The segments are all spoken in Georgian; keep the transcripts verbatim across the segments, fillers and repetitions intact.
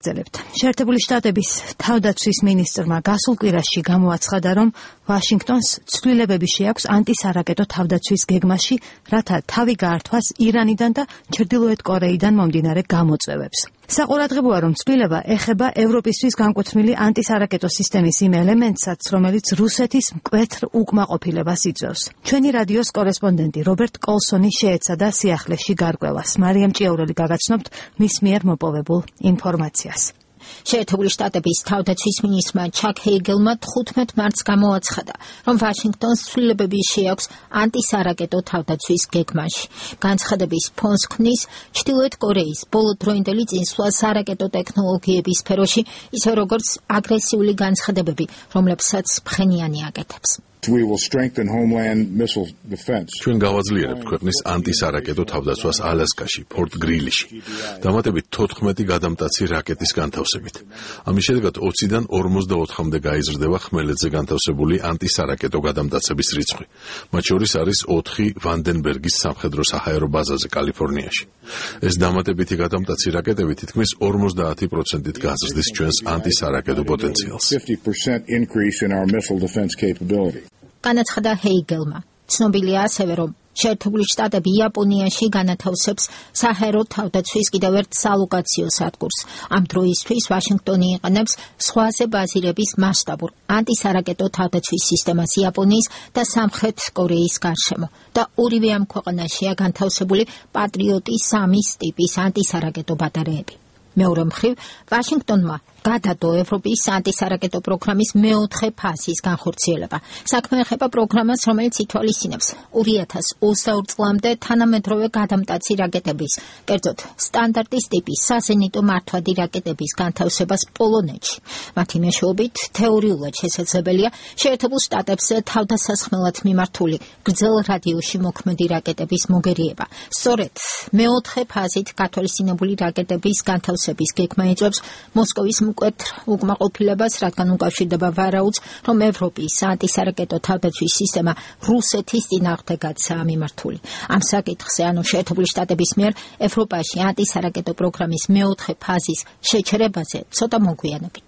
ვაგრძელებთ. შეერთებული შტატების თავდაცვის მინისტრმა გასულ კვირაში გამოაცხადა, რომ ვაშინგტონს ცვლილებები შეაქვს ანტისარაკეტო თავდაცვის გეგმაში, რათა თავი გაართვას ირანიდან და ჩრდილოეთ კორეიდან მომდინარე გამოწვევებს. საყურადღებოა, რომ ცვლილება ეხება ევროპისთვის განკუთვნილი ანტისარაკეტო სისტემის იმ ელემენტსაც, რომელიც რუსეთის მკვეთრ უკმაყოფილებას იწვევს. ჩვენი რადიოს კორესპონდენტი რობერტ კოლსონი შეეცადა სიახლეში გარკვევას. მარიამ ჭიაურელი გაგაცნობთ მის მიერ მოპოვებულ ინფორმაციას. შეერთებული შტატების თავდაცვის მინისტრმა ჩაკ ჰეიგელმა თხუთმეტ მარტს გამოაცხადა, რომ ვაშინგტონს ცვლილებები შეაქვს ანტისარაკეტო თავდაცვის გეგმაში. განცხადების ფონს ქმნის ჩრდილოეთ კორეის ბოლოდროინდელი წინსვლა სარაკეტო ტექნოლოგიების სფეროში, ისე როგორც აგრესიული განცხადებები, რომლებსაც ფხენიანი აკეთებს. We will strengthen homeland missile defense. ჩვენ გავაძლიერებთ ქვეყნის ანტისარაკეტო თავდაცვას ალასკაში, ფორტ გრილიში. დამატებით თოთხმეტი გადამტაცი რაკეტის განთავსებით. ამის შედეგად ოციდან ორმოცდაოთხამდე გაიზრდება ხმელეთზე განთავსებული ანტისარაკეტო გადამტაცების რიცხვი. მათ შორის არის ოთხი ვანდენბერგის სამხედრო-საჰაერო ბაზაზე კალიფორნიაში. ეს დამატებითი გადამტაცი რაკეტები თითქმის ორმოცდაათი პროცენტით გაზრდის ჩვენს ანტისარაკეტო პოტენციალს. fifty percent increase in our missile defense capability. განაცხადა ჰეიგელმა. ცნობილია ასევე, რომ შეერთებული შტატები იაპონიაში განათავსებს საჰაერო თავდაცვის კიდევ ერთ სალოკაციო სადგურს. ამ დროისთვის ვაშინგტონი იყენებს ზღვაზე ბაზირების მასშტაბურ ანტისარაკეტო თავდაცვის სისტემას იაპონიის და სამხრეთ კორეის გარშემო და ორივე ამ ქვეყანაშია განთავსებული პატრიოტი სამის ტიპის ანტისარაკეტო ბატარეები. მეორე მხრივ, ვაშინგტონმა გადადო ევროპის ანტისარაკეტო პროგრამის მეოთხე ფაზის განხორციელება. საქმე ეხება პროგრამას, რომელიც ითვალისწინებს ორი ათას ოცდაორ წლამდე თანამედროვე გადამტაცი რაკეტების, კერძოდ სტანდარტის ტიპის საზენიტო მართვადი რაკეტების განთავსებას პოლონეთში. მათი მეშვეობით თეორიულად შესაძლებელია შეერთებულ შტატებს თავდასასხმელად მიმართული გრძელ რადიუსში მოქმედი რაკეტების მოგერიება. სწორედ მეოთხე ფაზით გათვალისწინებული რაკეტების განთავსების გეგმა იწვევს მოსკოვის მკვეთრ უკმაყოფილებას, რადგან უკავშირდება ვარაუდს, რომ ევროპის ანტისარაკეტო თავდაცვის სისტემა რუსეთის წინააღმდეგაცაა მიმართული. ამ საკითხზე, ანუ შეერთებული შტატების მიერ ევროპაში ანტისარაკეტო პროგრამის მეოთხე ფაზის შეჩერებაზე ცოტა მოგვიანებით.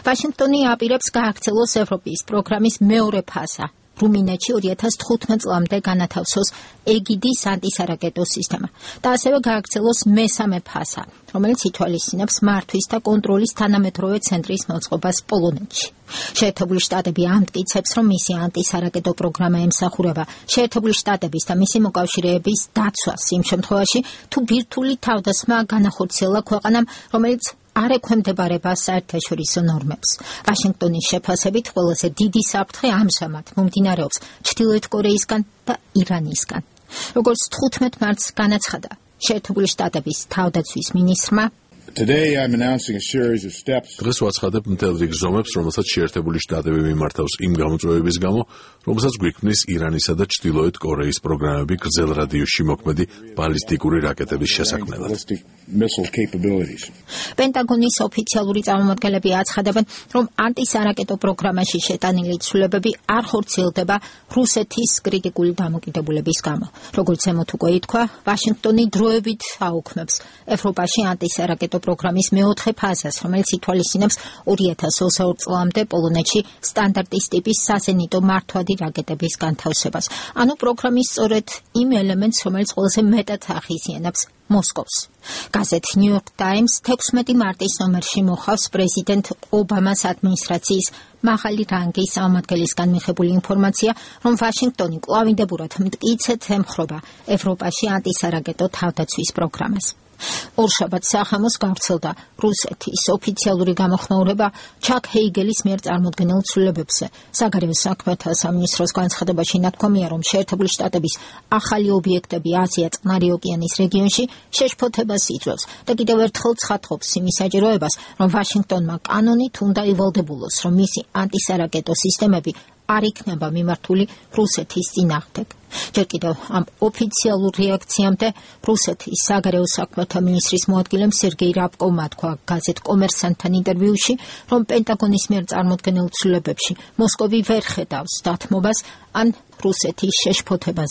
ვაშინგტონი აპირებს გააქცელოს ევროპის პროგრამის მეორე ფაზა. რუმინეთში ორი ათას თხუთმეტ წლამდე განათავსოს ეგიდის ანტისარაკეტო სისტემა და ასევე გააქცელოს მესამე ფაზა, რომელიც ითვალისწინებს მართვის და კონტროლის თანამედროვე ცენტრის მოწყობას პოლონეთში. შეერთებული შტატები ამტკიცებს, რომ მისი ანტისარაკეტო პროგრამა ემსახურება შეერთებული შტატების და მისი მოკავშირეების დაცვას იმ შემთხვევაში, თუ ბირთვული თავდასხმა განახორციელა ქვეყანამ, რომელიც არ ექვემდებარება საერთაშორისო ნორმებს. ვაშინგტონის შეფასებით ყველაზე დიდი საფრთხე ამჟამად მომდინარეობს ჩრდილოეთ კორეისგან და ირანისგან. როგორც თხუთმეტ მარტს განაცხადა შეერთებული შტატების თავდაცვის მინისტრმა, Today I'm announcing a series of steps. დღეს ვაცხადებ მთელ რიგ ზომებს, რომელსაც შეერთებული შტატები მიმართავს იმ გამოწვევების გამო, რომელსაც გვიქმნის ირანისა და ჩრდილოეთ კორეის პროგრამები გრძელ რადიუსში მოქმედი ბალისტიკური რაკეტების შესაქმნელად. პენტაგონის ოფიციალური წარმომადგენლები აცხადებენ, რომ ანტისარაკეტო პროგრამაში შეტანილი ცვლილებები არ ხორციელდება რუსეთის კრიტიკული დამოკიდებულების გამო. როგორც ზემოთ უკვე ითქვა, ვაშინგტონი დროებით აუქმებს ევროპაში ანტისარაკეტო პროგრამის მეოთხე ფაზას, რომელიც ითვალისწინებს ორი ათას ოცდაორ წლამდე პოლონეთში სტანდარტის ტიპის საზენიტო მართვადი რაკეტების განთავსებას. ანუ პროგრამის სწორედ იმ ელემენტს, რომელიც ყველაზე მეტად ახიზიანებს მოსკოვს. გაზეთ New York Times თექვსმეტი მარტის ნომერში მოხავს პრეზიდენტ ობამას ადმინისტრაციის მაღალი რანგის წარმომადგენლისგან მიღებული ინფორმაცია, რომ ვაშინგტონი კვლავინდებურად მტკიცედ ემხრობა ევროპაში ანტისარაკეტო თავდაცვის პროგრამას. ორშაბათს სახამოს გავრცელდა რუსეთის ოფიციალური გამოხმაურება ჩაკ ჰეიგელის მიერ წარმოდგენილ ცვლილებებზე. საგარეო საქმეთა სამინისტროს განცხადებაში ნათქვამია, რომ შეერთებული შტატების ახალი ობიექტები აზია-წყნარი ოკეანის რეგიონში შეშფოთებას იწვევს და კიდევ ერთხელ ცხადყოფს იმის საჭიროებას, რომ ვაშინგტონმა კანონით უნდა ივალდებულოს, რომ მისი ანტისარაკეტო სისტემები არ იქნება მიმართული რუსეთის წინააღმდეგ. ჯერ კიდევ ამ ოფიციალურ რეაქციამდე რუსეთის საგარეო საქმეთა მინისტრის მოადგილემ სერგეი რაბკოვმა თქვა გაზეთ კომერსანტთან ინტერვიუში, რომ პენტაგონის მიერ წარმოდგენილ ცვლილებებში მოსკოვი ვერ ხედავს დათმობას ან რუსეთის შეშფოთებაზე.